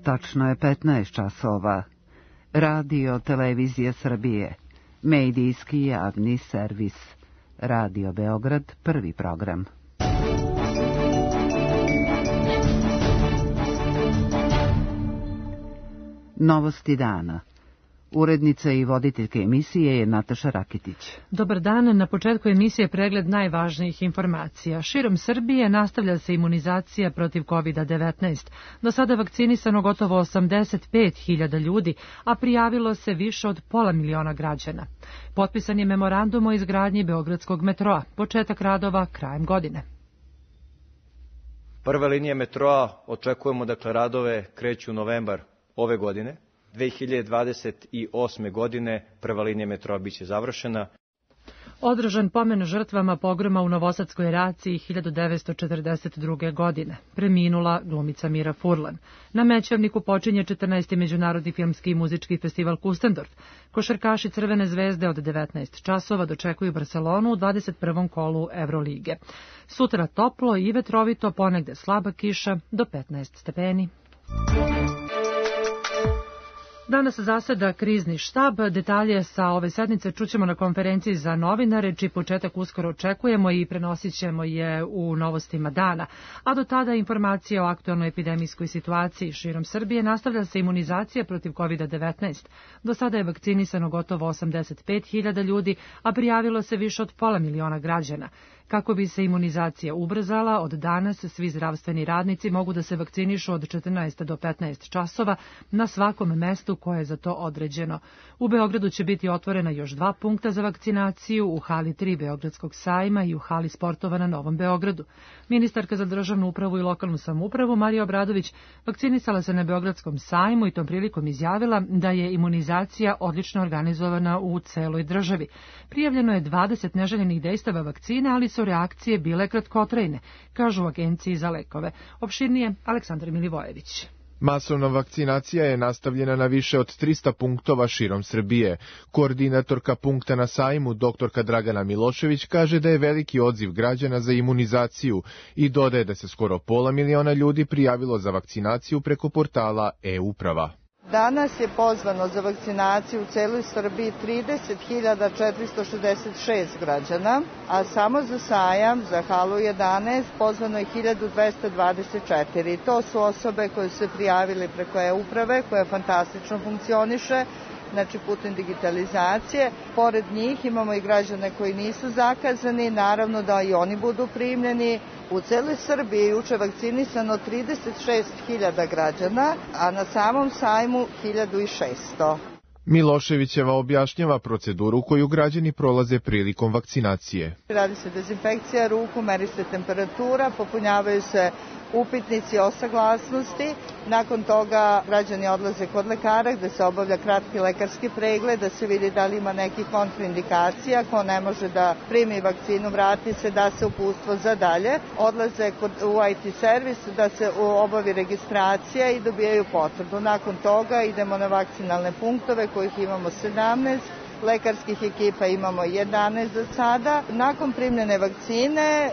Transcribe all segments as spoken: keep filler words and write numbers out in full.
Tačno je petnaest časova. Radio Televizija Srbije. Medijski javni servis. Radio Beograd, prvi program. Novosti dana. Urednica i voditeljke emisije je Nataša Rakitić. Dobar dan, na početku emisije pregled najvažnijih informacija. Širom Srbije nastavlja se imunizacija protiv kovid devetnaest. Do sada vakcinisano gotovo osamdeset pet hiljada ljudi, a prijavilo se više od pola miliona građana. Potpisan je memorandum o izgradnji Beogradskog metroa, početak radova krajem godine. Prva linija metroa, očekujemo, dakle, radove kreću u novembar ove godine. dve hiljade dvadeset osme. godine prva linija metroa biće završena. Održan pomen žrtvama pogroma u Novosadskoj Raciji hiljadu devetsto četrdeset druge. godine. Preminula glumica Mira Furlan. Na Mećavniku počinje četrnaesti. Međunarodni filmski i muzički festival Kustendorf. Košarkaši Crvene zvezde od devetnaest časova dočekuju Barcelonu u dvadeset prvom kolu Evrolige. Sutra toplo i vetrovito, ponegde slaba kiša do petnaest stepeni. Danas zaseda krizni štab. Detalje sa ove sednice čućemo na konferenciji za novinare, čiji početak uskoro očekujemo i prenosit ćemo je u novostima dana. A do tada informacije o aktualnoj epidemijskoj situaciji širom Srbije. Nastavlja se imunizacija protiv kovid devetnaest. Do sada je vakcinisano gotovo osamdeset pet hiljada ljudi, a prijavilo se više od pola miliona građana. Kako bi se imunizacija ubrzala, od danas svi zdravstveni radnici mogu da se vakcinišu od četrnaest do petnaest časova na svakom mestu koje je za to određeno. U Beogradu će biti otvorena još dva punkta za vakcinaciju, u hali tri Beogradskog sajma i u hali sportova na Novom Beogradu. Ministarka za državnu upravu i lokalnu samoupravu Marija Obradović vakcinisala se na Beogradskom sajmu i tom prilikom izjavila da je imunizacija odlično organizovana u celoj državi. Prijavljeno je dvadeset neželjenih dejstava vakcine, ali su reakcije bile kratkotrajne, kažu u Agenciji za lekove. Opširnije Aleksandar Milivojević. Masovna vakcinacija je nastavljena na više od trista punktova širom Srbije. Koordinatorka punkta na sajmu, doktorka Dragana Milošević, kaže da je veliki odziv građana za imunizaciju i dodaje da se skoro pola miliona ljudi prijavilo za vakcinaciju preko portala e-uprava. Danas je pozvano za vakcinaciju u celoj Srbiji trideset hiljada četiristo šezdeset šest građana, a samo za sajam, za halu jedanaest, pozvano je hiljadu dvesta dvadeset četiri. To su osobe koje su se prijavili preko e-uprave, koja fantastično funkcioniše, znači putem digitalizacije. Pored njih imamo i građane koji nisu zakazani, naravno da i oni budu primljeni. U celoj Srbiji je juče vakcinisano trideset šest hiljada građana, a na samom sajmu hiljadu šesto. Miloševićeva objašnjava proceduru koju građani prolaze prilikom vakcinacije. Radi se dezinfekcija ruku, meri se temperatura, popunjavaju se upitnici o saglasnosti. Nakon toga građani odlaze kod lekara gde se obavlja kratki lekarski pregled da se vidi da li ima nekih kontraindikacija. Ko ne može da primi vakcinu, vrati se, da se uputstvo za dalje. Odlaze kod, u i te servis da se obavi registracija i dobijaju potvrdu. Nakon toga idemo na vakcinalne punktove kojih imamo sedamnaest. Lekarskih ekipa imamo jedanaest za sada. Nakon primljene vakcine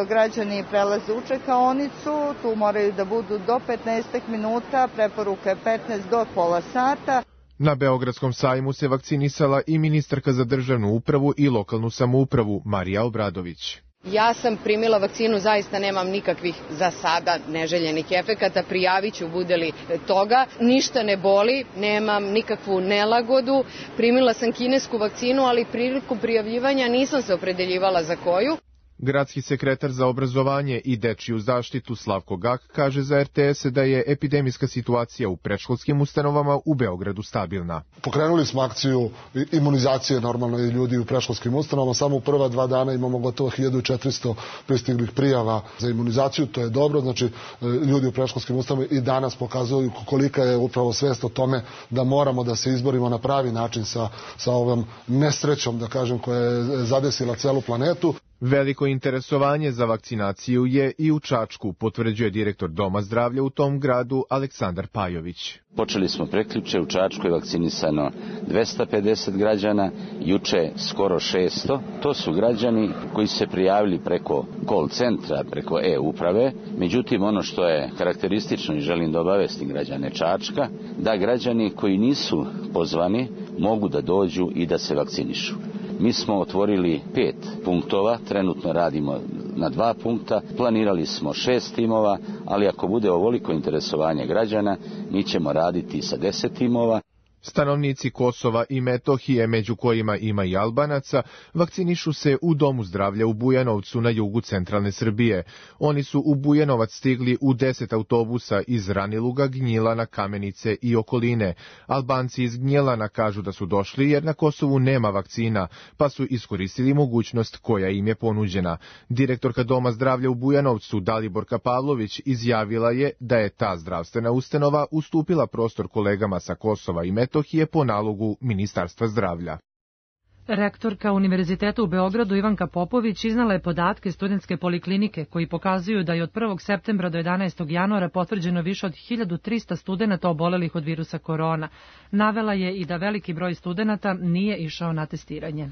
građani prelaze u čekaonicu, tu moraju da budu do petnaest minuta, preporuka je petnaest do pola sata. Na Beogradskom sajmu se vakcinisala i ministarka za državnu upravu i lokalnu samoupravu Marija Obradović. Ja sam primila vakcinu, zaista nemam nikakvih za sada neželjenih efekata, prijavit ću bude li toga. Ništa ne boli, nemam nikakvu nelagodu. Primila sam kinesku vakcinu, ali prilikom prijavljivanja nisam se opredeljivala za koju. Gradski sekretar za obrazovanje i dečiju zaštitu Slavko Gak kaže za er te es da je epidemijska situacija u predškolskim ustanovama u Beogradu stabilna. Pokrenuli smo akciju imunizacije normalno i ljudi u predškolskim ustanovama. Samo u prva dva dana imamo gotovo hiljadu četiristo pristiglih prijava za imunizaciju. To je dobro, znači ljudi u predškolskim ustanovama i danas pokazuju kolika je upravo svest o tome da moramo da se izborimo na pravi način sa, sa ovom nesrećom, da kažem, koja je zadesila celu planetu. Veliko interesovanje za vakcinaciju je i u Čačku, potvrđuje direktor Doma zdravlja u tom gradu Aleksandar Pajović. Počeli smo prekjuče, u Čačku je vakcinisano dvesta pedeset građana, juče skoro šesto. To su građani koji se prijavili preko call centra, preko e-uprave. Međutim, ono što je karakteristično i želim da obavestim građane Čačka, da građani koji nisu pozvani mogu da dođu i da se vakcinišu. Mi smo otvorili pet punktova, trenutno radimo na dva punkta, planirali smo šest timova, ali ako bude ovoliko interesovanje građana, mi ćemo raditi sa deset timova. Stanovnici Kosova i Metohije, među kojima ima i Albanaca, vakcinišu se u Domu zdravlja u Bujanovcu na jugu centralne Srbije. Oni su u Bujanovac stigli u deset autobusa iz Raniluga, Gnjilana, Kamenice i okoline. Albanci iz Gnjilana kažu da su došli jer na Kosovu nema vakcina, pa su iskoristili mogućnost koja im je ponuđena. Direktorka Doma zdravlja u Bujanovcu, Daliborka Pavlović, izjavila je da je ta zdravstvena ustanova ustupila prostor kolegama sa Kosova i Metohije je po nalogu Ministarstva zdravlja. Rektorka Univerziteta u Beogradu Ivanka Popović iznala je podatke studentske poliklinike koji pokazuju da je od prvog septembra do jedanaestog januara potvrđeno više od hiljadu trista studenata obolelih od virusa korona. Navela je i da veliki broj studenata nije išao na testiranje.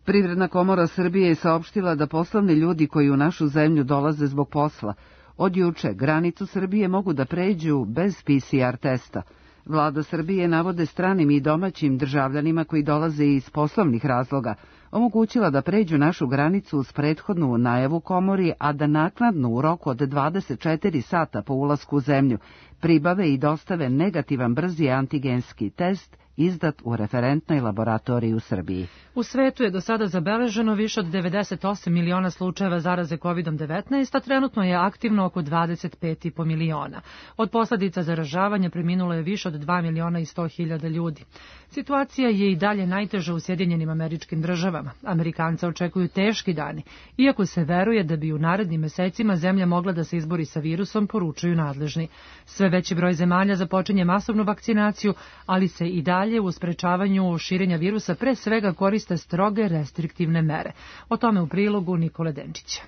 Privredna komora Srbije je saopštila da poslovni ljudi koji u našu zemlju dolaze zbog posla od juče granicu Srbije mogu da pređu bez P C R testa. Vlada Srbije navode stranim i domaćim državljanima koji dolaze iz poslovnih razloga omogućila da pređu našu granicu uz prethodnu najavu komori, a da naknadno u roku od dvadeset četiri sata po ulasku u zemlju pribave i dostave negativan brzi antigenski test izdat u referentnoj laboratoriji u Srbiji. U svetu je do sada zabeleženo više od devedeset osam miliona slučajeva zaraze kovid devetnaest, a trenutno je aktivno oko dvadeset pet i po miliona. Od posledica zaražavanja preminulo je više od dva miliona i sto hiljada ljudi. Situacija je i dalje najteža u Sjedinjenim Američkim Državama. Amerikanca očekuju teški dani, iako se veruje da bi u narednim mesecima zemlja mogla da se izbori sa virusom, poručuju nadležni. Sve veći broj zemalja započinje masovnu vakcinaciju, ali se i dalje u sprečavanju širenja virusa pre svega koriste stroge restriktivne mere. O tome u prilogu Nikole Denčića.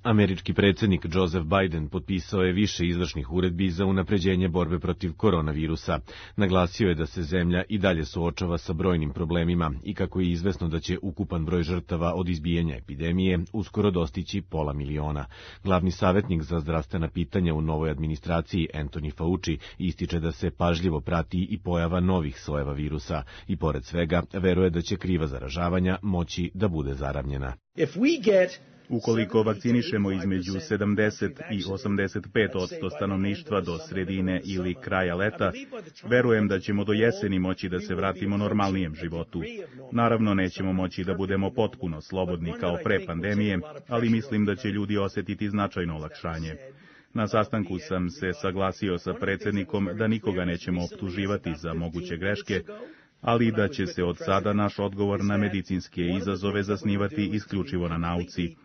Američki predsjednik Joseph Biden potpisao je više izvršnih uredbi za unapređenje borbe protiv koronavirusa. Naglasio je da se zemlja i dalje suočava sa brojnim problemima i kako je izvesno da će ukupan broj žrtava od izbijanja epidemije uskoro dostići pola miliona. Glavni savjetnik za zdravstvena pitanja u novoj administraciji Anthony Fauci ističe da se pažljivo prati i pojava novih sojeva virusa i pored svega veruje da će kriva zaražavanja moći da bude zaravnjena. Ukoliko vakcinišemo između sedamdeset i osamdeset pet posto stanovništva do sredine ili kraja leta, verujem da ćemo do jeseni moći da se vratimo normalnijem životu. Naravno, nećemo moći da budemo potpuno slobodni kao pre pandemije, ali mislim da će ljudi osjetiti značajno olakšanje. Na sastanku sam se saglasio sa predsjednikom da nikoga nećemo optuživati za moguće greške, ali da će se od sada naš odgovor na medicinske izazove zasnivati isključivo na nauci.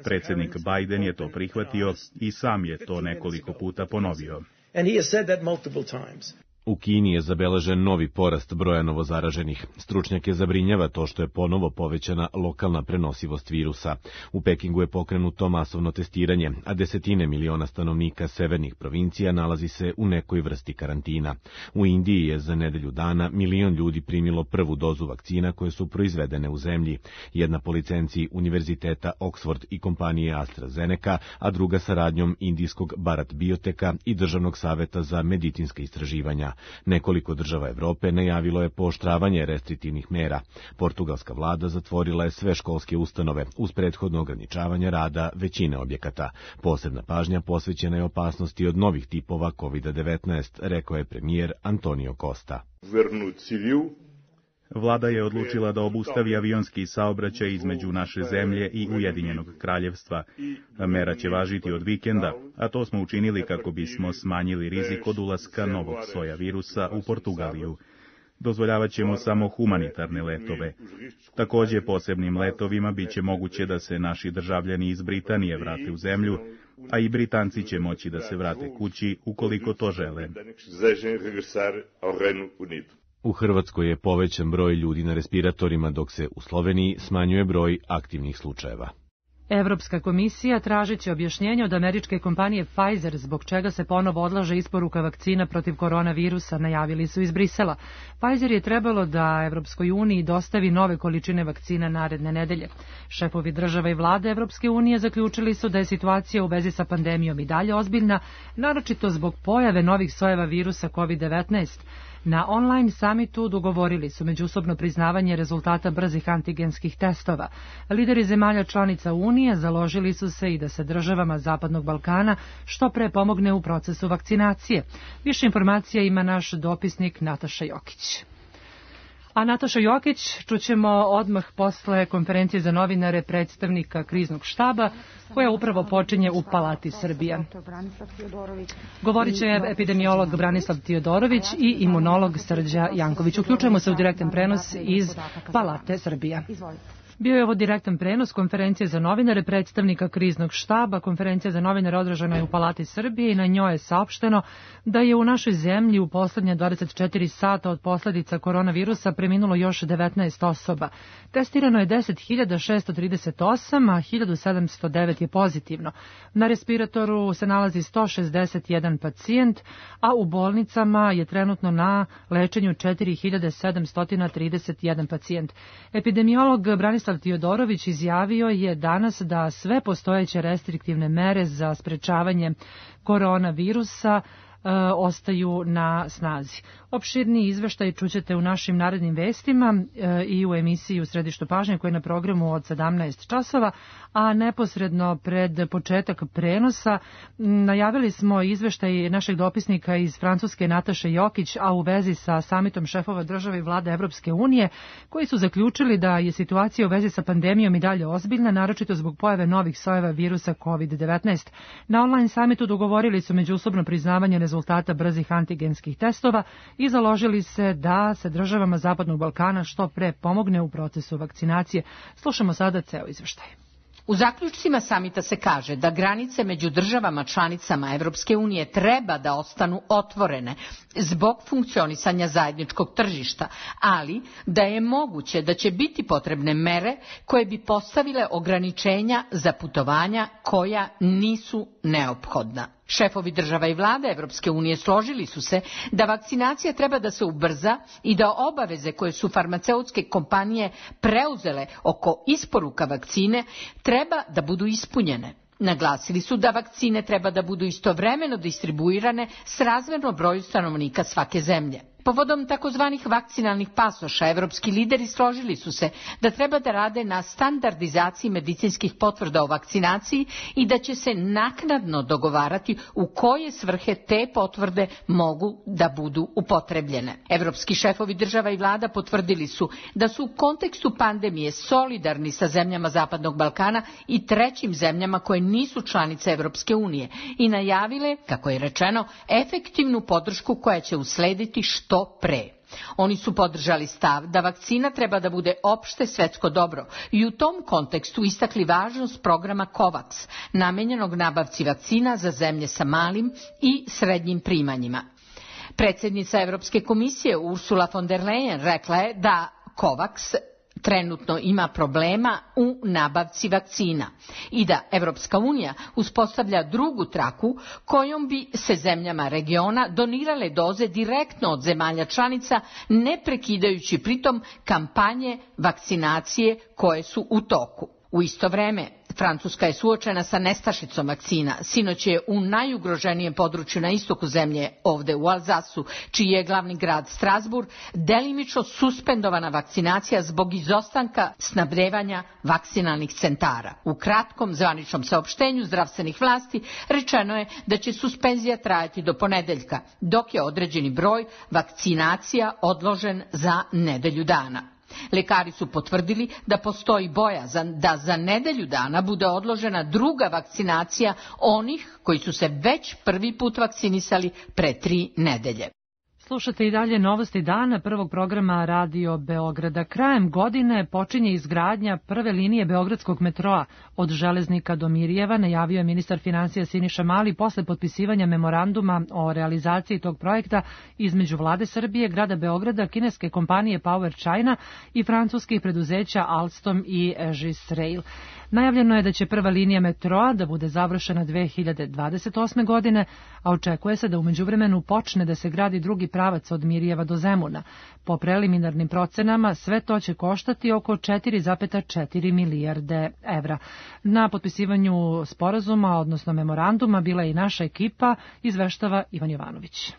Predsjednik Biden je to prihvatio i sam je to nekoliko puta ponovio. U Kini je zabeležen novi porast broja novozaraženih. Stručnjake zabrinjava to što je ponovo povećana lokalna prenosivost virusa. U Pekingu je pokrenuto masovno testiranje, a desetine miliona stanovnika severnih provincija nalazi se u nekoj vrsti karantina. U Indiji je za nedelju dana milion ljudi primilo prvu dozu vakcina koje su proizvedene u zemlji. Jedna po licenciji Univerziteta Oxford i kompanije AstraZeneca, a druga saradnjom indijskog Bharat Bioteka i Državnog saveta za medicinska istraživanja. Nekoliko država Evrope najavilo je pooštravanje restriktivnih mera. Portugalska vlada zatvorila je sve školske ustanove uz prethodno ograničavanje rada većine objekata. Posebna pažnja posvećena je opasnosti od novih tipova kovid devetnaest, rekao je premijer Antonio Costa. Vlada je odlučila da obustavi avionski saobraćaj između naše zemlje i Ujedinjenog kraljevstva. Mera će važiti od vikenda, a to smo učinili kako bismo smanjili rizik od ulaska novog soja virusa u Portugaliju. Dozvoljavat ćemo samo humanitarne letove. Također posebnim letovima bit će moguće da se naši državljani iz Britanije vrate u zemlju, a i Britanci će moći da se vrate kući ukoliko to žele. U Hrvatskoj je povećan broj ljudi na respiratorima, dok se u Sloveniji smanjuje broj aktivnih slučajeva. Evropska komisija tražiće objašnjenje od američke kompanije Pfizer zbog čega se ponovo odlaže isporuka vakcina protiv koronavirusa, najavili su iz Brisela. Pfizer je trebalo da Evropskoj uniji dostavi nove količine vakcina naredne nedelje. Šefovi država i vlade Evropske unije zaključili su da je situacija u vezi sa pandemijom i dalje ozbiljna, naročito zbog pojave novih sojeva virusa kovid devetnaest. Na online samitu dogovorili su međusobno priznavanje rezultata brzih antigenskih testova. Lideri zemalja članica Unije založili su se i da se državama Zapadnog Balkana što pre pomogne u procesu vakcinacije. Više informacija ima naš dopisnik Nataša Jokić. A Nataša Jokić čućemo odmah posle konferencije za novinare predstavnika kriznog štaba koja upravo počinje u Palati Srbije. Govorit će epidemiolog Branislav Tiodorović i imunolog Srđa Janković. Uključujemo se u direktan prenos iz Palate Srbije. Bio je ovo direktan prenos konferencije za novinare predstavnika kriznog štaba. Konferencija za novinare održana je u Palati Srbije i na njoj je saopšteno da je u našoj zemlji u poslednje dvadeset četiri sata od posledica koronavirusa preminulo još devetnaest osoba. Testirano je deset hiljada šesto trideset osam, a hiljadu sedamsto devet je pozitivno. Na respiratoru se nalazi sto šezdeset jedan pacijent, a u bolnicama je trenutno na lečenju četiri hiljade sedamsto trideset jedan pacijent. Epidemiolog Branislav Tiodorović izjavio je danas da sve postojeće restriktivne mere za sprečavanje koronavirusa e, ostaju na snazi. Opširni izveštaj čućete u našim narednim vestima e, i u emisiji u Središtu pažnje koja je na programu od sedamnaest časova, a neposredno pred početak prenosa najavili smo izveštaj našeg dopisnika iz Francuske Nataše Jokić, a u vezi sa samitom šefova države i vlade Evropske unije, koji su zaključili da je situacija u vezi sa pandemijom i dalje ozbiljna, naročito zbog pojave novih sojeva virusa kovid devetnaest. Na online samitu dogovorili su međusobno priznavanje rezultata brzih antigenskih testova i založili se da se državama Zapadnog Balkana što pre pomogne u procesu vakcinacije. Slušamo sada ceo izveštaj. U zaključcima samita se kaže da granice među državama članicama Evropske unije treba da ostanu otvorene zbog funkcionisanja zajedničkog tržišta, ali da je moguće da će biti potrebne mere koje bi postavile ograničenja za putovanja koja nisu neophodna. Šefovi država i vlade Evropske unije složili su se da vakcinacija treba da se ubrza i da obaveze koje su farmaceutske kompanije preuzele oko isporuka vakcine treba da budu ispunjene. Naglasili su da vakcine treba da budu istovremeno distribuirane srazmerno broju stanovnika svake zemlje. Povodom takozvanih vakcinalnih pasoša, evropski lideri složili su se da treba da rade na standardizaciji medicinskih potvrda o vakcinaciji i da će se naknadno dogovarati u koje svrhe te potvrde mogu da budu upotrebljene. Evropski šefovi država i vlada potvrdili su da su u kontekstu pandemije solidarni sa zemljama Zapadnog Balkana i trećim zemljama koje nisu članice Evropske unije i najavile, kako je rečeno, efektivnu podršku koja će uslediti što to pre. Oni su podržali stav da vakcina treba da bude opšte svetsko dobro i u tom kontekstu istakli važnost programa COVAX, namenjenog nabavci vakcina za zemlje sa malim i srednjim primanjima. Predsjednica Evropske komisije Ursula von der Leyen rekla je da COVAX trenutno ima problema u nabavci vakcina i da Evropska unija uspostavlja drugu traku kojom bi se zemljama regiona donirale doze direktno od zemalja članica, ne prekidajući pritom kampanje vakcinacije koje su u toku. U isto vreme, Francuska je suočena sa nestašicom vakcina. Sinoć je u najugroženijem području na istoku zemlje, ovde u Alzasu, čiji je glavni grad Strasbourg, delimično suspendovana vakcinacija zbog izostanka snabdevanja vakcinalnih centara. U kratkom zvaničnom saopštenju zdravstvenih vlasti rečeno je da će suspenzija trajati do ponedeljka, dok je određeni broj vakcinacija odložen za nedelju dana. Lekari su potvrdili da postoji bojazan da za nedelju dana bude odložena druga vakcinacija onih koji su se već prvi put vakcinisali pre tri nedelje. Slušate i dalje novosti dana prvog programa Radio Beograda. Krajem godine počinje izgradnja prve linije beogradskog metroa od Železnika do Mirjeva, najavio je ministar finansija Siniša Mali posle potpisivanja memoranduma o realizaciji tog projekta između Vlade Srbije, grada Beograda, kineske kompanije Power China i francuskih preduzeća Alstom i Egis Rail. Najavljeno je da će prva linija metroa da bude završena dve hiljade dvadeset osme godine, a očekuje se da u međuvremenu počne da se gradi drugi pravac od Mirjeva do Zemuna. Po preliminarnim procenama sve to će koštati oko četiri zarez četiri milijarde evra. Na potpisivanju sporazuma, odnosno memoranduma, bila je i naša ekipa, izveštava Ivan Jovanović.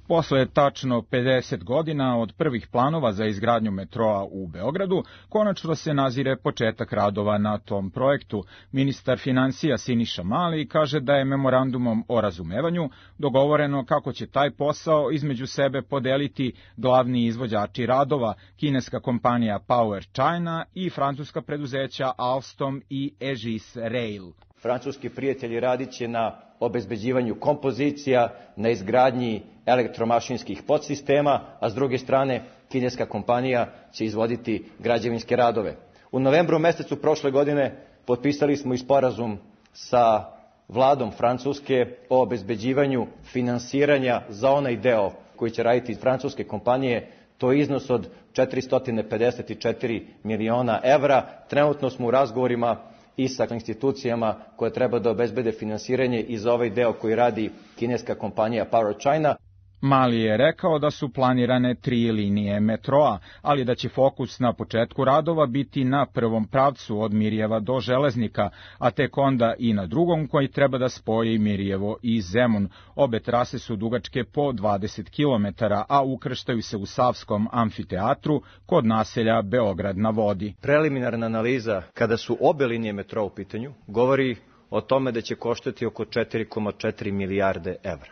Posle tačno pedeset godina od prvih planova za izgradnju metroa u Beogradu, konačno se nazire početak radova na tom projektu. Ministar finansija Siniša Mali kaže da je memorandumom o razumevanju dogovoreno kako će taj posao između sebe podeliti glavni izvođači radova, kineska kompanija Power China i francuska preduzeća Alstom i Egis Rail. Francuski prijatelji radit će na obezbeđivanju kompozicija, na izgradnji elektromašinskih podsistema, a s druge strane kineska kompanija će izvoditi građevinske radove. U novembru mesecu prošle godine potpisali smo i sporazum sa vladom Francuske o obezbeđivanju finansiranja za onaj deo koji će raditi francuske kompanije. To je iznos od četiristo pedeset četiri miliona evra. Trenutno smo u razgovorima i sa institucijama koje treba da obezbede finansiranje i za ovaj deo koji radi kineska kompanija Power China. Mali je rekao da su planirane tri linije metroa, ali da će fokus na početku radova biti na prvom pravcu od Mirjeva do Železnika, a tek onda i na drugom koji treba da spoji Mirjevo i Zemun. Obe trase su dugačke po dvadeset kilometara, a ukrštaju se u Savskom amfiteatru kod naselja Beograd na vodi. Preliminarna analiza, kada su obe linije metroa u pitanju, govori o tome da će koštati oko četiri zarez četiri milijarde evra.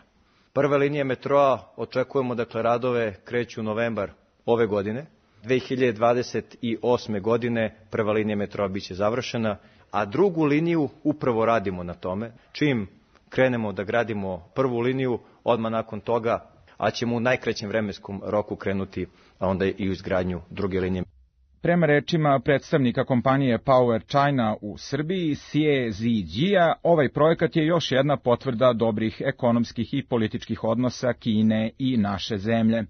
Prve linije metroa očekujemo, dakle, radove kreću novembar ove godine. dve hiljade dvadeset osme godine prva linija metroa biće završena, a drugu liniju upravo radimo na tome. Čim krenemo da gradimo prvu liniju, odmah nakon toga, a ćemo u najkraćem vremenskom roku krenuti, a onda i u izgradnju druge linije. Prema rečima predstavnika kompanije Power China u Srbiji, Xie Zijia, ovaj projekat je još jedna potvrda dobrih ekonomskih i političkih odnosa Kine i naše zemlje.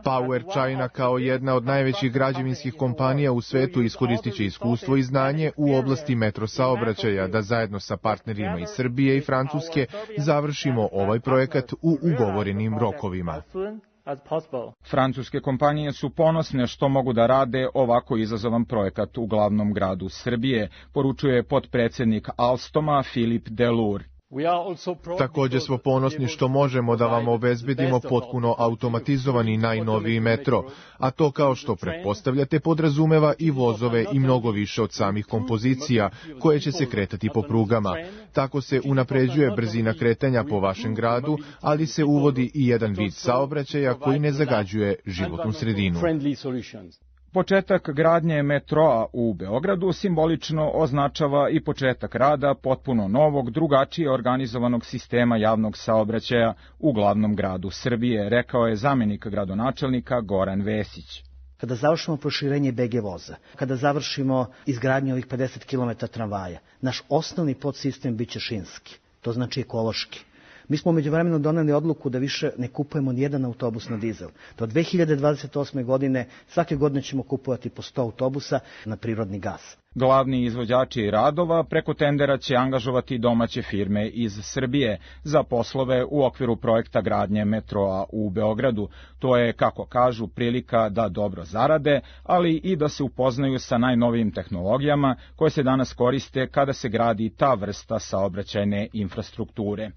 Power China kao jedna od najvećih građevinskih kompanija u svetu iskoristit će iskustvo i znanje u oblasti metro saobraćaja da zajedno sa partnerima iz Srbije i Francuske završimo ovaj projekat u ugovorenim rokovima. Francuske kompanije su ponosne što mogu da rade ovako izazovan projekat u glavnom gradu Srbije, poručuje potpredsednik Alstoma Filip Delur. Takođe smo ponosni što možemo da vam obezbedimo potpuno automatizovani najnoviji metro, a to kao što pretpostavljate podrazumeva i vozove i mnogo više od samih kompozicija koje će se kretati po prugama. Tako se unapređuje brzina kretanja po vašem gradu, ali se uvodi i jedan vid saobraćaja koji ne zagađuje životnu sredinu. Početak gradnje metroa u Beogradu simbolično označava i početak rada potpuno novog, drugačije organizovanog sistema javnog saobraćaja u glavnom gradu Srbije, rekao je zamenik gradonačelnika Goran Vesić. Kada završimo proširenje be ge voza, kada završimo izgradnju ovih pedeset kilometara tramvaja, naš osnovni podsistem biće šinski, to znači ekološki. Mi smo međuvremeno doneli odluku da više ne kupujemo nijedan autobus na dizel. Do dve hiljade dvadeset osme godine svake godine ćemo kupovati po sto autobusa na prirodni gas. Glavni izvođači radova preko tendera će angažovati domaće firme iz Srbije za poslove u okviru projekta gradnje metroa u Beogradu. To je, kako kažu, prilika da dobro zarade, ali i da se upoznaju sa najnovijim tehnologijama koje se danas koriste kada se gradi ta vrsta saobraćajne infrastrukture.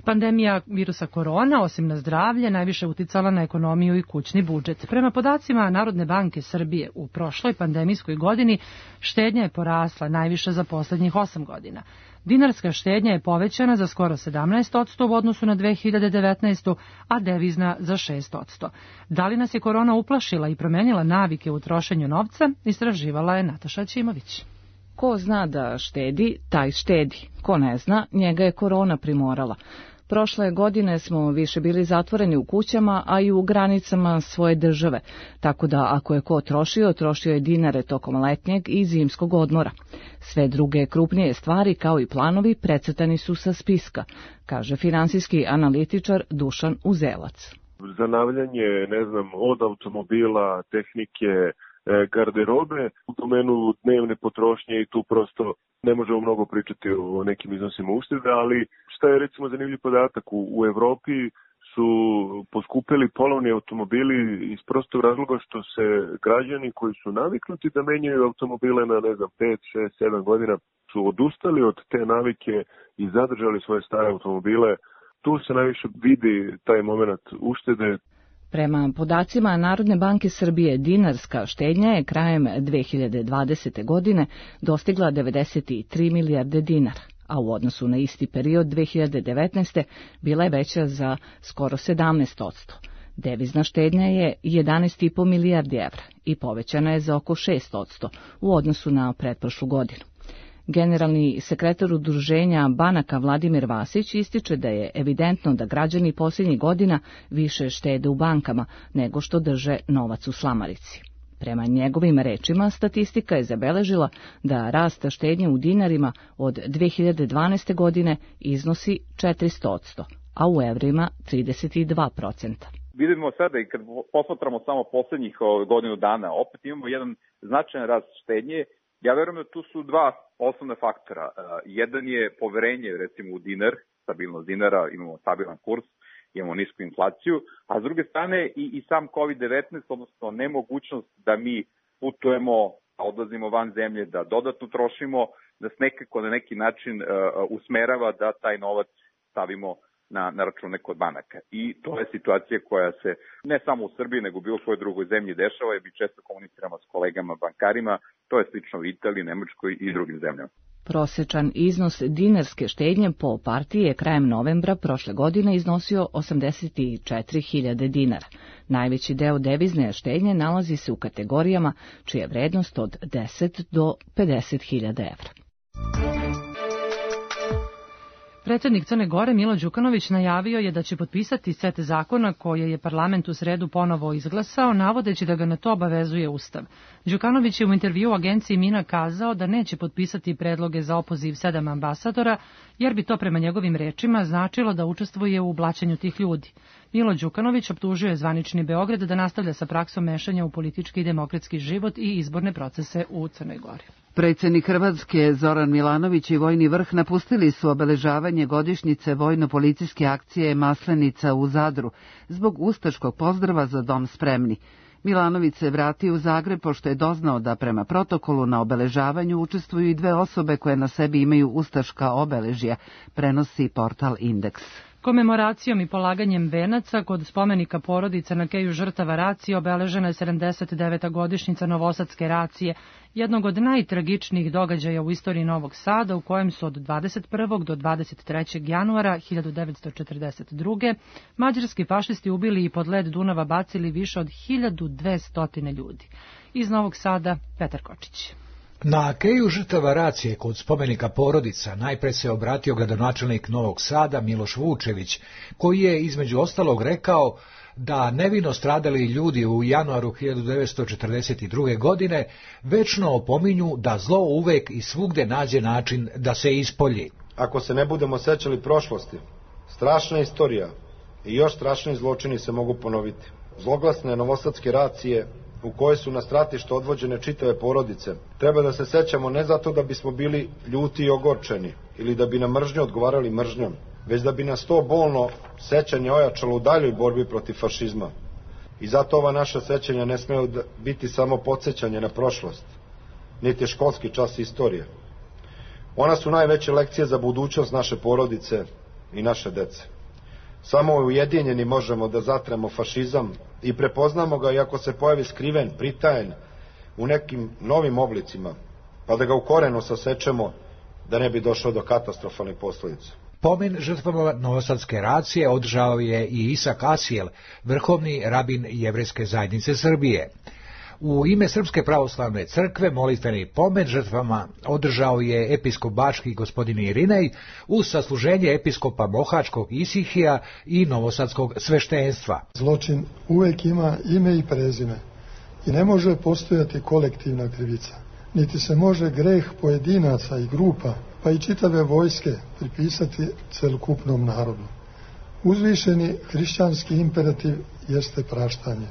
Pandemija virusa korona, osim na zdravlje, najviše uticala na ekonomiju i kućni budžet. Prema podacima Narodne banke Srbije, u prošloj pandemijskoj godini štednja je porasla najviše za poslednjih osam godina. Dinarska štednja je povećana za skoro sedamnaest posto u odnosu na dve hiljade devetnaestu. a devizna za šest posto. Da li nas je korona uplašila i promenila navike u trošenju novca, istraživala je Nataša Ćimović. Ko zna da štedi, taj štedi. Ko ne zna, njega je korona primorala. Prošle godine smo više bili zatvoreni u kućama, a i u granicama svoje države, tako da ako je ko trošio, trošio je dinare tokom letnjeg i zimskog odmora. Sve druge krupnije stvari, kao i planovi, precrtani su sa spiska, kaže finansijski analitičar Dušan Uzelac. Zanavljanje, ne znam, od automobila, tehnike, garderobe u domenu dnevne potrošnje i tu prosto ne možemo mnogo pričati o nekim iznosima uštede, ali šta je recimo zanimljiv podatak, u, u Evropi su poskupili polovni automobili iz prostog razloga što se građani koji su naviknuti da menjaju automobile na, ne znam, pet, šest, sedam godina su odustali od te navike i zadržali svoje stare automobile. Tu se najviše vidi taj moment uštede. Prema podacima Narodne banke Srbije, dinarska štednja je krajem dve hiljade dvadesete. godine dostigla devedeset tri milijarde dinara, a u odnosu na isti period dve hiljade devetnaeste. bila je veća za skoro sedamnaest posto. Devizna štednja je jedanaest i po milijardi evra i povećana je za oko šest posto u odnosu na pretprošlu godinu. Generalni sekretar udruženja banaka Vladimir Vasić ističe da je evidentno da građani posljednjih godina više štede u bankama nego što drže novac u slamarici. Prema njegovim rečima, statistika je zabeležila da rast štednje u dinarima od dve hiljade dvanaeste. godine iznosi četiristo posto, a u evrima trideset dva posto. Vidimo sada i kad posmatramo samo poslednjih godinu dana, opet imamo jedan značajan rast štednje. Ja verujem da tu su dva osnovna faktora. Jedan je poverenje, recimo, u dinar, stabilnost dinara, imamo stabilan kurs, imamo nisku inflaciju, a s druge strane i, i sam kovid devetnaest, odnosno nemogućnost da mi putujemo, odlazimo van zemlje, da dodatno trošimo, da se nekako na neki način uh, usmerava da taj novac stavimo na, na račune kod banaka. I to je situacija koja se ne samo u Srbiji, nego u bilo kojoj drugoj zemlji dešava i mi često komuniciramo s kolegama bankarima, to je slično u Italiji, Nemačkoj i drugim zemljama. Prosječan iznos dinarske štednje po partiji je krajem novembra prošle godine iznosio osamdeset četiri hiljade dinara. Najveći deo devizne štednje nalazi se u kategorijama čija je vrednost od deset do pedeset hiljada evra. Predsjednik Crne Gore Milo Đukanović najavio je da će potpisati set zakona koje je parlament u sredu ponovo izglasao, navodeći da ga na to obavezuje Ustav. Đukanović je u intervju agenciji Mina kazao da neće potpisati predloge za opoziv sedam ambasadora, jer bi to prema njegovim rečima značilo da učestvuje u blaćenju tih ljudi. Milo Đukanović optužio je zvanični Beograd da nastavlja sa praksom mešanja u politički i demokratski život i izborne procese u Crnoj Gori. Predsjednik Hrvatske Zoran Milanović i vojni vrh napustili su obeležavanje godišnjice vojno-policijske akcije Maslenica u Zadru zbog ustaškog pozdrava za dom spremni. Milanović se vratio u Zagreb pošto je doznao da prema protokolu na obeležavanju učestvuju i dve osobe koje na sebi imaju ustaška obeležja, prenosi portal Indeks. Komemoracijom i polaganjem venaca kod spomenika porodica na keju žrtava racije obeležena je sedamdeset deveta godišnjica Novosadske racije, jednog od najtragičnijih događaja u istoriji Novog Sada, u kojem su od dvadeset prvog do dvadeset trećeg januara hiljadu devetsto četrdeset druge. mađarski fašisti ubili i pod led Dunava bacili više od hiljadu dvesta ljudi. Iz Novog Sada, Petar Kočić. Na keju žrtava racije kod spomenika porodica najpre se obratio gradonačelnik Novog Sada Miloš Vučević, koji je između ostalog rekao da nevino stradali ljudi u januaru hiljadu devetsto četrdeset druge. godine večno opominju da zlo uvek i svugde nađe način da se ispolji. Ako se ne budemo sećali prošlosti, strašna istorija i još strašniji zločini se mogu ponoviti. Zloglasne novosadske racije u kojoj su na stratište odvođene čitave porodice, treba da se sećamo ne zato da bismo bili ljuti i ogorčeni ili da bi na mržnju odgovarali mržnjom, već da bi nas to bolno sećanje ojačalo u daljoj borbi protiv fašizma. I zato ova naša sećanja ne smeju biti samo podsjećanje na prošlost, niti školski čas istorije. Ona su najveće lekcije za budućnost naše porodice i naše dece. Samo ujedinjeni možemo da zatremo fašizam i prepoznamo ga, iako se pojavi skriven, pritajen u nekim novim oblicima, pa da ga u korenu sasečemo da ne bi došlo do katastrofalnih posljedica. Pomen žrtvama Novosadske racije održao je i Isak Asijel, vrhovni rabin Jevrejske zajednice Srbije. U ime Srpske pravoslavne crkve molitveni pomen žrtvama održao je episkop bački gospodin Irinej uz sasluženje episkopa mohačkog Isihija i novosadskog sveštenstva. Zločin uvek ima ime i prezime i ne može postojati kolektivna krivica, niti se može greh pojedinaca i grupa, pa i čitave vojske pripisati celokupnom narodu. Uzvišeni hrišćanski imperativ jeste praštanje.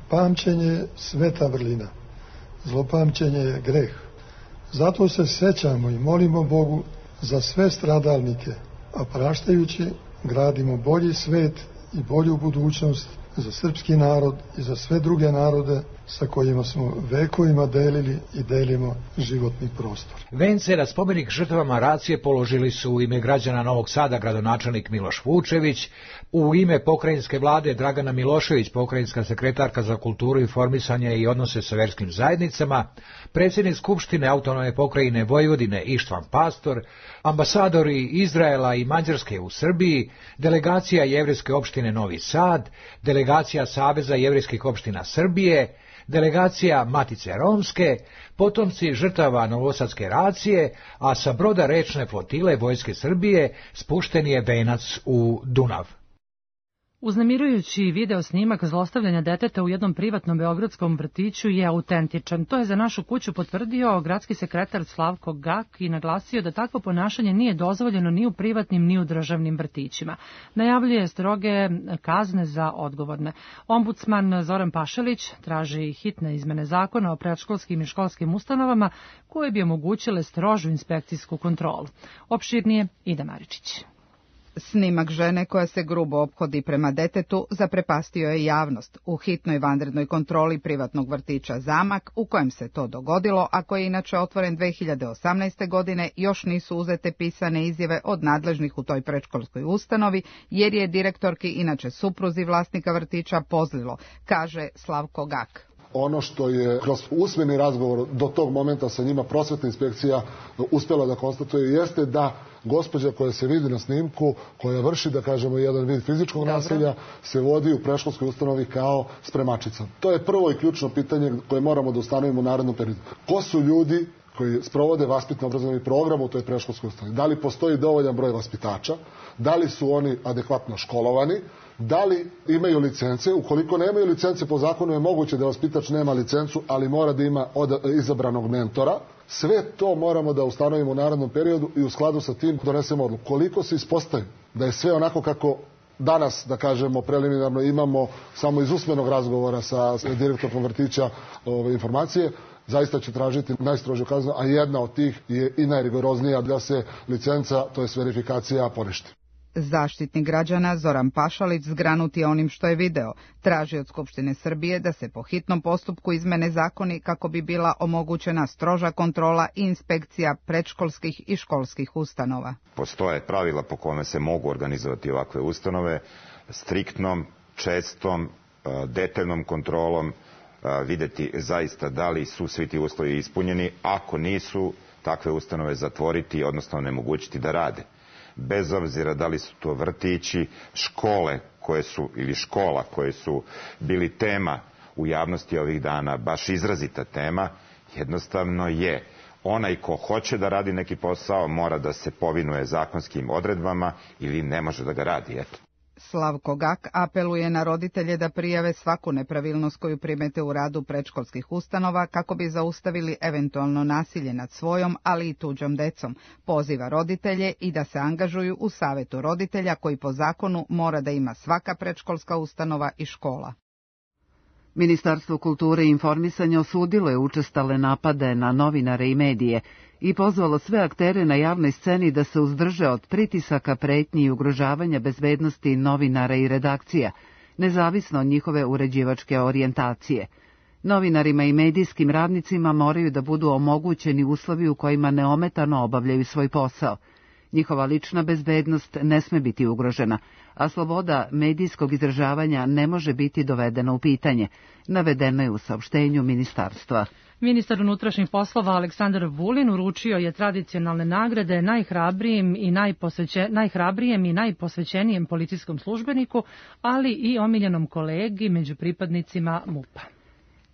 Pamćenje je sveta vrlina, zlopamćenje je greh. Zato se sećamo i molimo Bogu za sve stradalnike, a praštajući gradimo bolji svet i bolju budućnost za srpski narod i za sve druge narode sa kojima smo vekovima delili i delimo životni prostor. Vence na spomenik žrtvama racije položili su u ime građana Novog Sada gradonačelnik Miloš Vučević, u ime pokrajinske vlade Dragana Milošević, pokrajinska sekretarka za kulturu, informisanje i odnose sa verskim zajednicama, predsjednik Skupštine autonomne pokrajine Vojvodine Ištvan Pastor, ambasadori Izraela i Mađarske u Srbiji, delegacija Jevrejske opštine Novi Sad, delegacija Saveza jevrejskih opština Srbije, delegacija Matice Romske, potomci žrtava novosadske racije, a sa broda rečne flotile Vojske Srbije spušten je venac u Dunav. Uznemirujući video snimak zlostavljanja deteta u jednom privatnom beogradskom vrtiću je autentičan. To je za našu kuću potvrdio gradski sekretar Slavko Gak i naglasio da takvo ponašanje nije dozvoljeno ni u privatnim ni u državnim vrtićima. Najavljuje stroge kazne za odgovorne. Ombudsman Zoran Pašalić traži hitne izmene zakona o predškolskim i školskim ustanovama koje bi omogućile strožu inspekcijsku kontrolu. Opširnije Ida Maričić. Snimak žene koja se grubo ophodi prema detetu zaprepastio je javnost u hitnoj vanrednoj kontroli privatnog vrtića Zamak, u kojem se to dogodilo, a koji je inače otvoren dve hiljade osamnaeste. godine, još nisu uzete pisane izjave od nadležnih u toj predškolskoj ustanovi, jer je direktorki, inače supruzi vlasnika vrtića, pozlilo, kaže Slavko Gak. Ono što je kroz usmeni razgovor do tog momenta sa njima prosvetna inspekcija uspjela da konstatuje jeste da gospođa koja se vidi na snimku, koja vrši, da kažemo, jedan vid fizičkog nasilja, se vodi u predškolskoj ustanovi kao spremačica. To je prvo i ključno pitanje koje moramo da ustanovimo u narednom periodu. Ko su ljudi koji sprovode vaspitno-obrazovni program u toj predškolskoj ustanovi? Da li postoji dovoljan broj vaspitača? Da li su oni adekvatno školovani? Da li imaju licence? Ukoliko nemaju licence, po zakonu je moguće da vaspitač nema licencu, ali mora da ima od izabranog mentora. Sve to moramo da ustanovimo u narednom periodu i u skladu sa tim donesemo odluku. Koliko se ispostavi da je sve onako kako danas, da kažemo, preliminarno imamo samo iz usmenog razgovora sa direktorom vrtića ove informacije, zaista će tražiti najstrožiju kaznu, a jedna od tih je i najrigoroznija, da se licenca, to je verifikacija, poništi. Zaštitnik građana Zoran Pašalić zgranut je onim što je video. Traži od Skupštine Srbije da se po hitnom postupku izmene zakoni kako bi bila omogućena stroža kontrola i inspekcija predškolskih i školskih ustanova. Postoje pravila po kome se mogu organizovati ovakve ustanove, striktnom, čestom, detaljnom kontrolom, videti zaista da li su svi ti uslovi ispunjeni, ako nisu, takve ustanove zatvoriti, odnosno onemogućiti da rade. Bez obzira da li su to vrtići, škole koje su, ili škola koje su bili tema u javnosti ovih dana, baš izrazita tema, jednostavno je onaj ko hoće da radi neki posao mora da se povinuje zakonskim odredbama ili ne može da ga radi, eto. Slavko Gak apeluje na roditelje da prijave svaku nepravilnost koju primete u radu predškolskih ustanova kako bi zaustavili eventualno nasilje nad svojom, ali i tuđom decom. Poziva roditelje i da se angažuju u savetu roditelja koji po zakonu mora da ima svaka predškolska ustanova i škola. Ministarstvo kulture i informisanja osudilo je učestale napade na novinare i medije i pozvalo sve aktere na javnoj sceni da se uzdrže od pritisaka, pretnji i ugrožavanja bezbednosti novinara i redakcija, nezavisno od njihove uređivačke orijentacije. Novinarima i medijskim radnicima moraju da budu omogućeni uslovi u kojima neometano obavljaju svoj posao. Njihova lična bezbednost ne sme biti ugrožena, a sloboda medijskog izražavanja ne može biti dovedena u pitanje, navedeno je u saopštenju ministarstva. Ministar unutrašnjih poslova Aleksandar Vulin uručio je tradicionalne nagrade najhrabrijem i, najposveće, najhrabrijem i najposvećenijem policijskom službeniku, ali i omiljenom kolegi među pripadnicima M U P-a.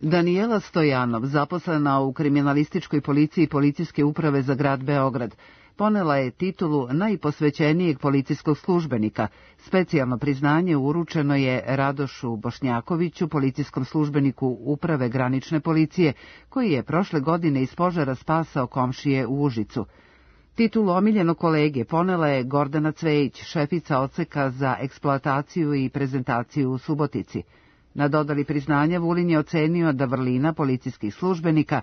Danijela Stojanov, zaposlena u kriminalističkoj policiji Policijske uprave za grad Beograd, ponela je titulu najposvećenijeg policijskog službenika. Specijalno priznanje uručeno je Radošu Bošnjakoviću, policijskom službeniku Uprave granične policije, koji je prošle godine iz požara spasao komšije u Užicu. Titulu omiljenog kolege ponela je Gordana Cvejić, šefica odseka za eksploataciju i prezentaciju u Subotici. Na dodali priznanja Vulin je ocenio da vrlina policijskih službenika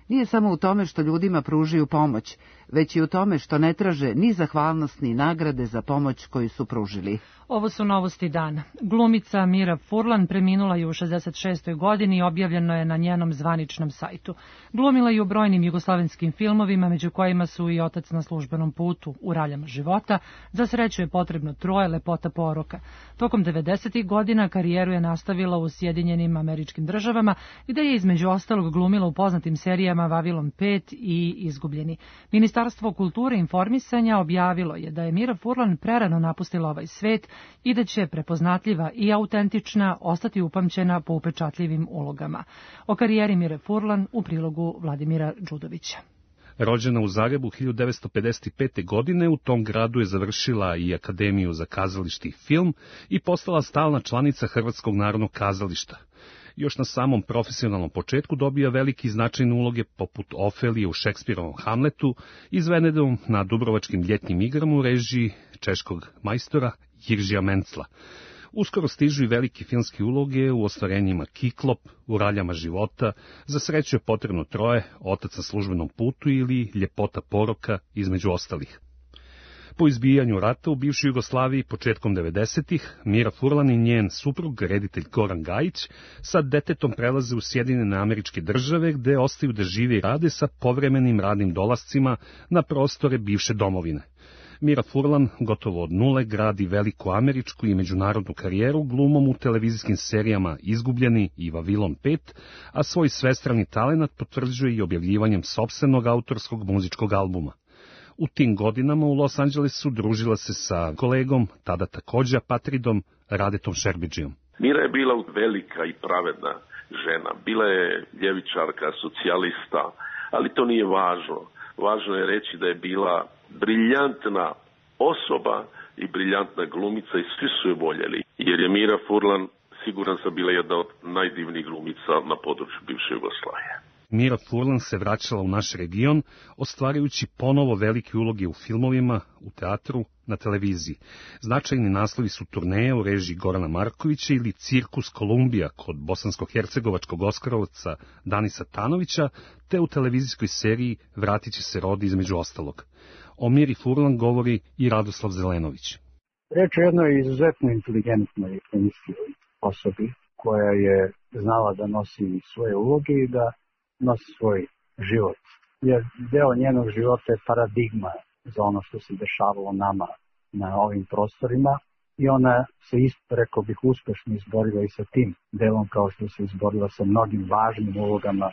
nije samo u tome što ljudima pružaju pomoć, već i u tome što ne traže ni zahvalnost ni nagrade za pomoć koju su pružili. Ovo su novosti dana. Glumica Mira Furlan preminula je u šezdeset šestoj godini i objavljeno je na njenom zvaničnom sajtu. Glumila je u brojnim jugoslovenskim filmovima, među kojima su i Otac na službenom putu, U raljama života, Za sreću je potrebno troje, Lepota poroka. Tokom devedesetih godina karijeru je nastavila u Sjedinjenim Američkim Državama, gde je između ostalog glumila u poznatim serijama Vavilon pet i Izgubljeni. Ministarstvo kulture i informisanja objavilo je da je Mira Furlan prerano napustila ovaj svet i da će prepoznatljiva i autentična ostati upamćena po upečatljivim ulogama. O karijeri Mire Furlan u prilogu Vladimira Đudovića. Rođena u Zagrebu hiljadu devetsto pedeset pete. godine, u tom gradu je završila i Akademiju za kazalište i film i postala stalna članica Hrvatskog narodnog kazališta. Još na samom profesionalnom početku dobija veliki značajne uloge poput Ofelije u Šekspirovom Hamletu i Venedom na Dubrovačkim ljetnim igrama u režiji češkog majstora Jiržija Mencla. Uskoro stižu i velike filmske uloge u ostvarenjima Kiklop, U raljama života, Za sreću je potrebno troje, Otac na službenom putu ili Ljepota poroka, između ostalih. Po izbijanju rata u bivšoj Jugoslaviji početkom devedesetih, Mira Furlan i njen suprug, reditelj Goran Gajić, sa detetom prelaze u Sjedinjene Američke Države, gde ostaju da žive i rade sa povremenim radnim dolascima na prostore bivše domovine. Mira Furlan gotovo od nule gradi veliku američku i međunarodnu karijeru glumom u televizijskim serijama Izgubljeni i Vavilon pet, a svoj svestrani talenat potvrđuje i objavljivanjem sopstvenog autorskog muzičkog albuma. U tim godinama u Los Angelesu družila se sa kolegom, tada također Patridom, Radetom Šerbidžijom. Mira je bila velika i pravedna žena. Bila je ljevičarka, socijalista, ali to nije važno. Važno je reći da je bila briljantna osoba i briljantna glumica i svi su je voljeli. Jer je Mira Furlan, siguran sam, bila jedna od najdivnijih glumica na području bivše Jugoslavije. Mira Furlan se vraćala u naš region, ostvarujući ponovo velike uloge u filmovima, u teatru, na televiziji. Značajni naslovi su turneje u režiji Gorana Markovića ili Cirkus Kolumbija kod bosansko-hercegovačkog oskarovca Danisa Tanovića, te u televizijskoj seriji Vratit će se rodi između ostalog. O Miri Furlan govori i Radoslav Zelenović. Reč je jednoj izuzetno inteligentnoj osobi koja je znala da nosi svoje uloge i da nosi svoj život. Jer deo njenog života je paradigma za ono što se dešavalo nama na ovim prostorima i ona se isto, rekao bih, uspešno izborila i sa tim delom kao što se izborila sa mnogim važnim ulogama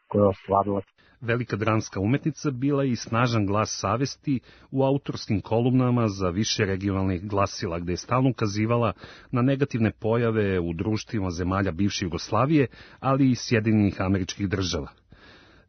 koje je ostvarila. Velika dramska umetnica bila je i snažan glas savesti u autorskim kolumnama za više regionalnih glasila, gde je stalno ukazivala na negativne pojave u društvima zemalja bivše Jugoslavije, ali i Sjedinjenih Američkih Država.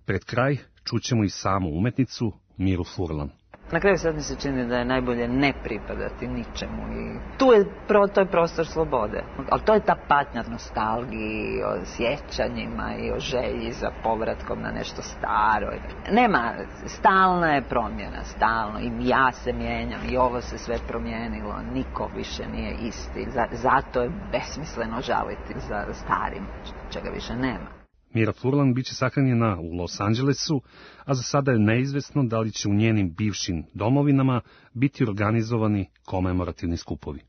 Pred kraj čućemo i samu umetnicu Miru Furlan. Na kraju sad mi se čini da je najbolje ne pripadati ničemu i tu je, pro, to je prostor slobode. Ali to je ta patnja nostalgiji, o sjećanjima i o želji za povratkom na nešto staro. Nema, stalna je promjena, stalno. I ja se mijenjam i ovo se sve promijenilo, niko više nije isti. Zato je besmisleno žaliti za starim, čega više nema. Mira Furlan biće sahranjena u Los Angelesu, a za sada je neizvesno da li će u njenim bivšim domovinama biti organizovani komemorativni skupovi.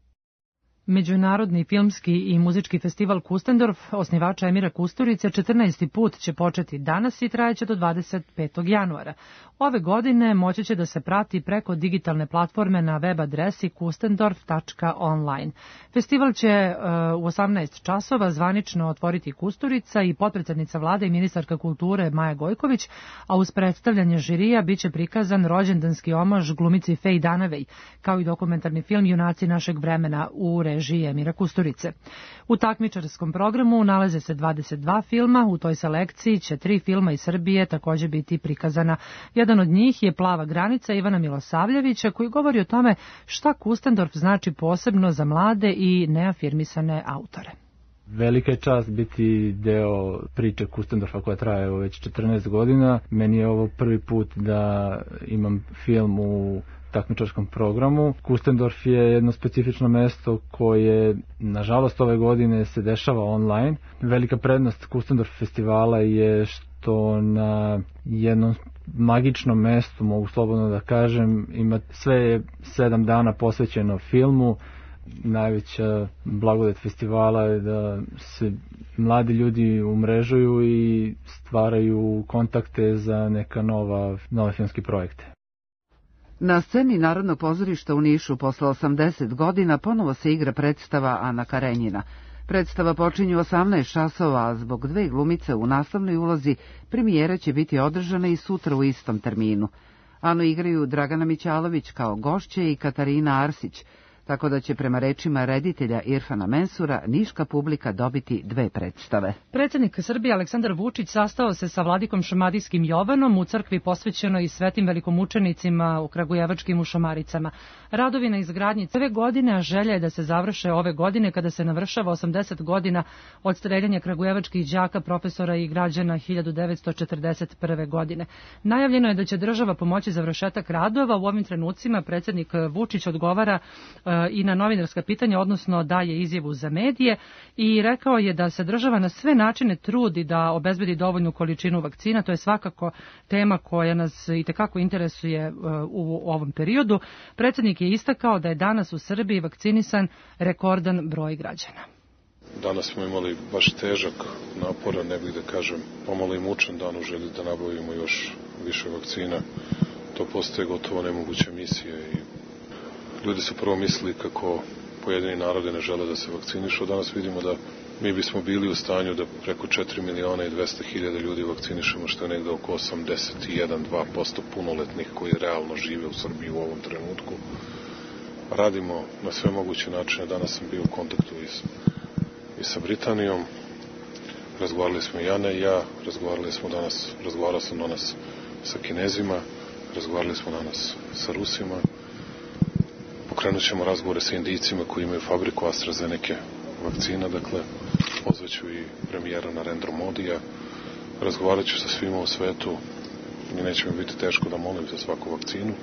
Međunarodni filmski i muzički festival Kustendorf, osnivača Emira Kusturice, četrnaesti put će početi danas i trajeće do dvadeset petog januara. Ove godine moći će da se prati preko digitalne platforme na web adresi kustendorf tačka online. Festival će uh, u osamnaest časova zvanično otvoriti Kusturica i potpredsjednica vlade i ministarka kulture Maja Gojković, a uz predstavljanje žirija biće prikazan rođendanski omaž glumici Fej Danavej, kao i dokumentarni film Junaci našeg vremena u režiji Emira Kusturice. U takmičarskom programu nalaze se dvadeset dva filma, u toj selekciji će tri filma iz Srbije takođe biti prikazana. Jedan od njih je Plava granica Ivana Milosavljevića, koji govori o tome šta Kustendorf znači posebno za mlade i neafirmisane autore. Velika je čast biti deo priče Kustendorfa koja traje već četrnaest godina. Meni je ovo prvi put da imam film u takmičarskom programu. Kustendorf je jedno specifično mesto koje, nažalost, ove godine se dešava online. Velika prednost Kustendorf festivala je što na jednom magičnom mestu, mogu slobodno da kažem, ima sve je sedam dana posvećeno filmu. Najveća blagodet festivala je da se mladi ljudi umrežuju i stvaraju kontakte za neka nova, nove filmske projekte. Na sceni Narodnog pozorišta u Nišu posle osamdeset godina ponovo se igra predstava Ana Karenjina. Predstava počinje u osamnaest časova, a zbog dve glumice u naslovnoj ulozi premijera će biti održana i sutra u istom terminu. Anu igraju Dragana Mićalović kao gošće i Katarina Arsić, tako da će prema rečima reditelja Irfana Mensura niška publika dobiti dve predstave. Predsjednik Srbije Aleksandar Vučić sastao se sa vladikom Šumadijskim Jovanom u crkvi posvećenoj svetim velikomučenicima u kragujevačkim Ušamaricama. Radovi na izgradnji ove godine, a želja je da se završe ove godine kada se navršava osamdeset godina od streljanja kragujevačkih đaka, profesora i građana hiljadu devetsto četrdeset prve. godine. Najavljeno je da će država pomoći završetak radova. U ovim trenucima predsjednik Vučić odgovara i na novinarska pitanja, odnosno daje izjavu za medije i rekao je da se država na sve načine trudi da obezbedi dovoljnu količinu vakcina. To je svakako tema koja nas itekako interesuje u ovom periodu. Predsjednik je istakao da je danas u Srbiji vakcinisan rekordan broj građana. Danas smo imali baš težak, naporan, ne bih da kažem, pomalo i mučan dan u želji da nabavimo još više vakcina. To postaje gotovo nemoguća misija i ljudi su prvo mislili kako pojedini narode ne žele da se vakcinišu. Danas vidimo da mi bismo bili u stanju da preko četiri miliona i dvesta hiljada ljudi vakcinišemo, što je negde oko osamdeset jedan do dva posto punoletnih koji realno žive u Srbiji u ovom trenutku. Radimo na sve moguće načine. Danas sam bio u kontaktu i, i sa Britanijom. Razgovarali smo i Jana i ja. Razgovarali smo danas, razgovarao sam danas sa Kinezima. Razgovarali smo danas sa Rusima. Pokrenut ćemo razgovore sa Indijcima koji imaju fabriku AstraZeneca vakcina, dakle, pozvaću i premijera Narendra Modija, razgovarat ću sa svima u svetu i neće mi biti teško da molim za svaku vakcinu.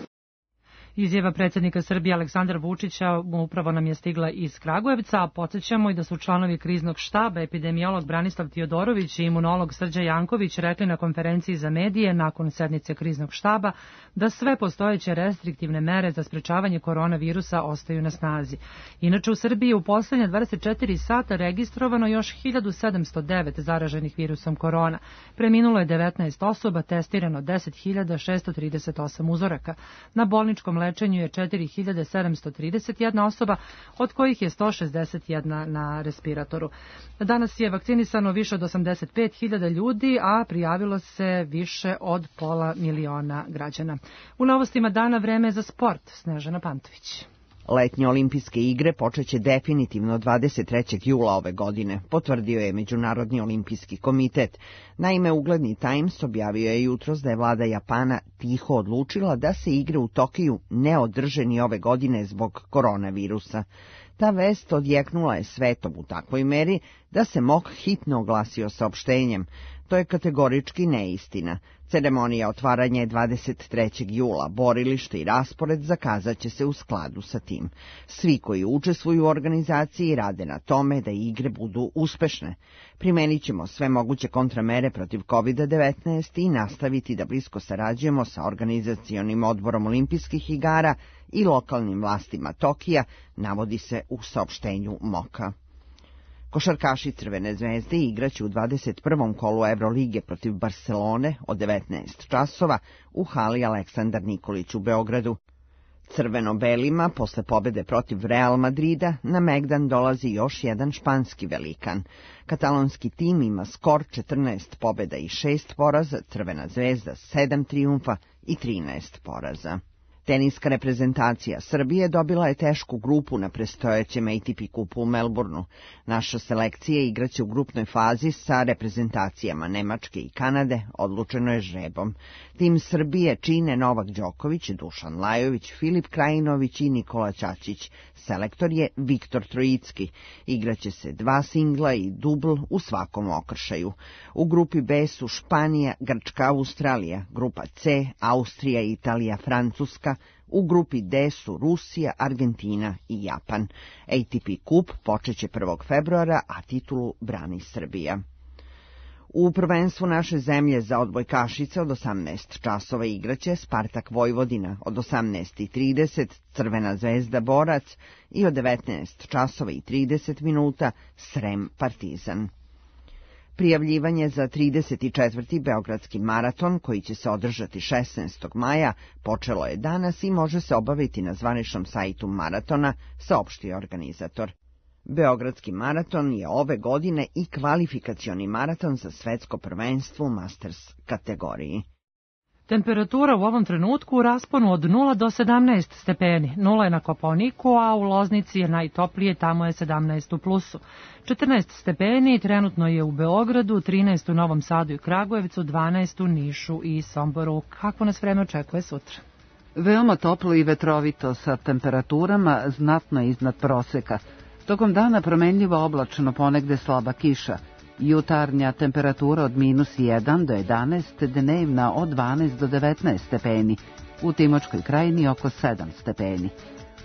Izjava predsjednika Srbije Aleksandra Vučića upravo nam je stigla iz Kragujevca, a podsjećamo i da su članovi kriznog štaba, epidemiolog Branislav Tiodorović i imunolog Srđa Janković rekli na konferenciji za medije nakon sednice kriznog štaba da sve postojeće restriktivne mere za sprečavanje koronavirusa ostaju na snazi. Inače, u Srbiji u poslednje dvadeset četiri sata registrovano još hiljadu sedamsto devet zaraženih virusom korona. Preminulo je devetnaest osoba, testirano deset hiljada šessto trideset osam uzoraka. Na bolničkom lečenju je četiri hiljade sedamsto trideset jedna osoba, od kojih je sto šezdeset jedna na respiratoru. Danas je vakcinisano više od osamdeset pet hiljada ljudi, a prijavilo se više od pola miliona građana. U novostima dana vreme za sport. Snežana Pantović. Letnje olimpijske igre počeće definitivno dvadeset trećeg jula ove godine, potvrdio je Međunarodni olimpijski komitet. Naime, ugledni Times objavio je jutros da je vlada Japana tiho odlučila da se igre u Tokiju ne održe ni ove godine zbog koronavirusa. Ta vest odjeknula je svetom u takvoj meri da se M O K hitno oglasio saopštenjem. To je kategorički neistina. Ceremonija otvaranja je dvadeset trećeg jula. Borilište i raspored zakazat će se u skladu sa tim. Svi koji učestvuju u organizaciji rade na tome da igre budu uspešne. Primenit ćemo sve moguće kontramere protiv kovid devetnaest i nastaviti da blisko sarađujemo sa organizacionim odborom olimpijskih igara i lokalnim vlastima Tokija, navodi se u saopštenju M O K-a. Košarkaši Crvene zvezde igraće u dvadeset prvom kolu Evrolige protiv Barcelone od devetnaest časova u hali Aleksandar Nikolić u Beogradu. Crveno-belima posle pobede protiv Real Madrida na Megdan dolazi još jedan španski velikan. Katalonski tim ima skor četrnaest pobeda i šest poraza, Crvena zvezda sedam trijumfa i trinaest poraza. Teniska reprezentacija Srbije dobila je tešku grupu na predstojećem A T P kupu u Melbourneu. Naša selekcija igraće u grupnoj fazi sa reprezentacijama Nemačke i Kanade, odlučeno je žrebom. Tim Srbije čine Novak Đoković, Dušan Lajović, Filip Krajinović i Nikola Ćaćić. Selektor je Viktor Trojicki. Igraće se dva singla i dubl u svakom okršaju. U grupi B su Španija, Grčka, Australija, grupa C, Austrija, Italija, Francuska, u grupi D su Rusija, Argentina i Japan. A T P kup počeće prvog februara, a titulu brani Srbija. U prvenstvu naše zemlje za odbojkašice od osamnaest časova igraće Spartak Vojvodina, od osamnaest i trideset Crvena zvezda Borac i od devetnaest časova i trideset minuta Srem Partizan. Prijavljivanje za trideset četvrti Beogradski maraton, koji će se održati šesnaestog maja, počelo je danas i može se obaviti na zvaničnom sajtu maratona, saopštio organizator. Beogradski maraton je ove godine i kvalifikacioni maraton za svetsko prvenstvo u Masters kategoriji. Temperatura u ovom trenutku u rasponu od nula do sedamnaest stepeni. Nula je na Kopaoniku, a u Loznici je najtoplije, tamo je sedamnaest u plusu. četrnaest stepeni trenutno je u Beogradu, trinaest u Novom Sadu i Kragujevcu, dvanaest u Nišu i Somboru. Kako nas vreme očekuje sutra? Veoma toplo i vetrovito sa temperaturama znatno iznad proseka. Tokom dana promenljivo oblačno, ponegde slaba kiša. Jutarnja temperatura od minus jedan do jedanaest, dnevna od dvanaest do devetnaest stepeni, u Timočkoj krajini oko sedam stepeni.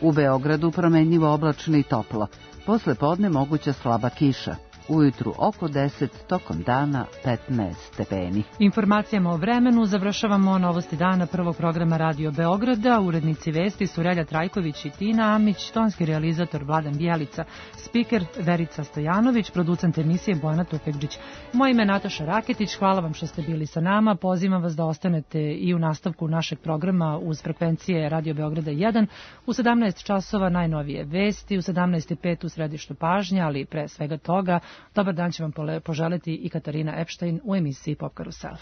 U Beogradu promenljivo oblačno i toplo, posle podne moguća slaba kiša. Ujutru oko deset, tokom dana petnaest stepeni. Informacijama o vremenu završavamo novosti dana prvog programa Radio Beograda. Urednici vesti su Relja Trajković i Tina Amić, tonski realizator Vladan Bjelica, spiker Verica Stojanović, producent emisije Bojana Tufekđić. Moje ime je Nataša Raketić, hvala vam što ste bili sa nama. Pozivam vas da ostanete i u nastavku našeg programa uz frekvencije Radio Beograda jedan. U sedamnaest časova najnovije vesti, u sedamnaest i pet u središtu pažnje, ali pre svega toga dobar dan će vam poželiti i Katarina Epštajn u emisiji Pop Karusel.